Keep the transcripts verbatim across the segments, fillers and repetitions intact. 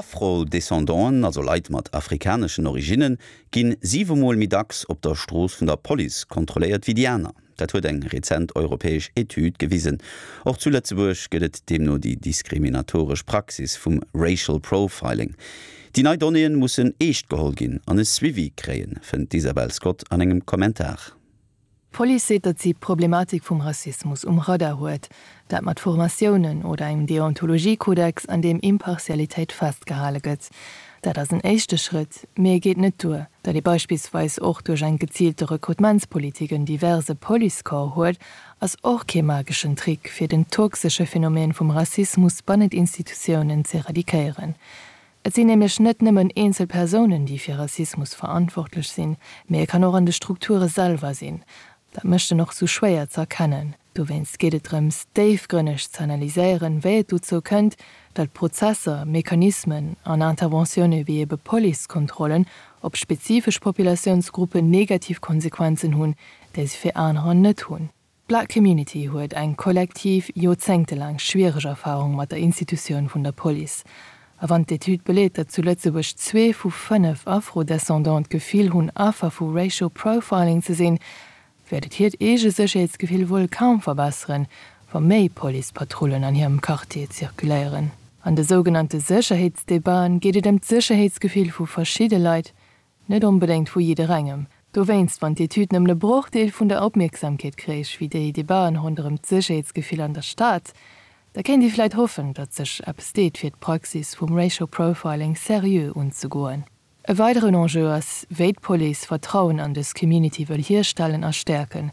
Afro-Descendanten, also Leit mat afrikaneschen Originnen, ginn siwe Mol méi dacks op der Strooss vun der Police kontrolléiert wéi déi aner. Dat huet eng rezent europäesch Etüd gewisen. Och zu Lëtzebuerg gëtt et deemno déi diskriminatoresch Praxis vum Racial Profiling. Déi nei Donnéeën mussen eescht geholl ginn an e Suivi kréien, fënnt d'Isabel Scott an engem Kommentar. D'Police seet, datt si d'Problematik vum Rassismus um Radar huet, dat mat Formatiounen oder engem Deontologiekodex, an deem Impartialitéit festgehale gëtt. Dat ass en éischte Schrëtt, mee e geet net duer, datt ee beispillsweis och duerch eng geziilte Rekrutementspolitik en diverse Policecorps huet, ass och kee mageschen Trick fir den toxesche Phänomen vum Rassismus bannent Institutiounen ze eradikéieren. Et sinn nämlech net nëmmen eenzel Persounen, déi fir Rassismus verantwortlech sinn, mee e kann och an de Strukture selwer sinn. Dat mécht en och sou schwéier ze erkennen. Dowéinst geet et drëms, déifgrënneg ze analyséieren, wéi et dozou kënnt, datt Prozesser, Mechanismen an Interventioune wéi ebe Policekontrollen op spezifesch Populatiounsgruppen negativ Konsequenzen hunn, déi se fir anerer net hunn. D'Black Community huet eng kollektiv, joerzéngtelaang schwiereg Erfarung mat der Institutioun vun der Police. A wann d'Etüd beleet, datt zu Lëtzebuerg zwee vu fënnef Afro-Descendante d'Gefill hunn, Affer vu Racial Profiling ze sinn, wäert et hiert eege Sécherheetsgefill wuel kaum verbesseren, wa méi Policepatrullen an hirem Quartier zirkuléieren. An de sougenannte Sécherheetsdebatten geet et ëm d'Sécherheetsgefill vu verschidde Leit, net onbedéngt vu jidderengem. Dowéinst, wann d'Etüd nëmmen e Brochdeel vun der Opmierksamkeet kréich wéi déi Debatten ronderëm d'Sécherheetsgefill an der Stad, da kéint ee vläicht hoffen, datt sech eppes deet fir d'Praxis vum Racial Profiling seriö unzegoen. E weideren Enjeu ass, wéi d'Police Vertrauen an dës Community wëll hierstellen a stäerken.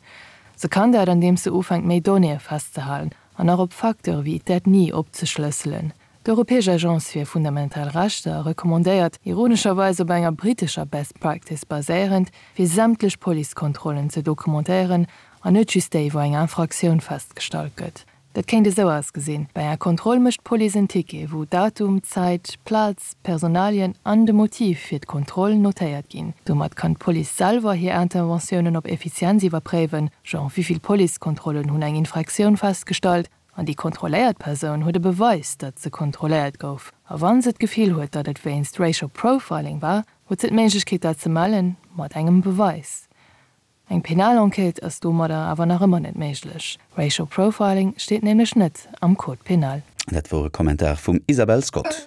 Se kann dat, andeems se ufänkt méi Donnéeë festzehalen an och op Facteure wéi d'Ethnie opzeschlësselen. D'Europäesch Agence fir fundamental Rechter recommandéiert, ironescherweis op enger brittescher Best Practice baséierend, fir sämtlech Policekontrollen ze dokumentéieren an net just déi, wou eng Infraktioun festgestallt gëtt. Dat kéint esou ausgesinn, Bei enger Kontroll mécht d'Police en Ticket, wou Datum, Zäit, Plaz, Personalien an de Motiv fir d'Kontroll notéiert ginn. Domat kann d'Police selwer hir Interventiounen op Effizienz iwwerpréiwen, genre wéi vill Policekontrollen hunn eng Infraktioun festgestallt, an déi kontrolléiert Persoun huet e Beweis, datt se kontrolléiert gouf. A wann se d'Gefill huet, datt et wéinst Racial Profiling war, huet se d'Méiglechkeet dat ze mellen, mat engem Beweis. Eng penal Enquête ass domadder awer nach ëmmer net méiglech. Racial Profiling steet nämlech net am Code pénal. Dat wor e Kommentar vum Isabel Scott.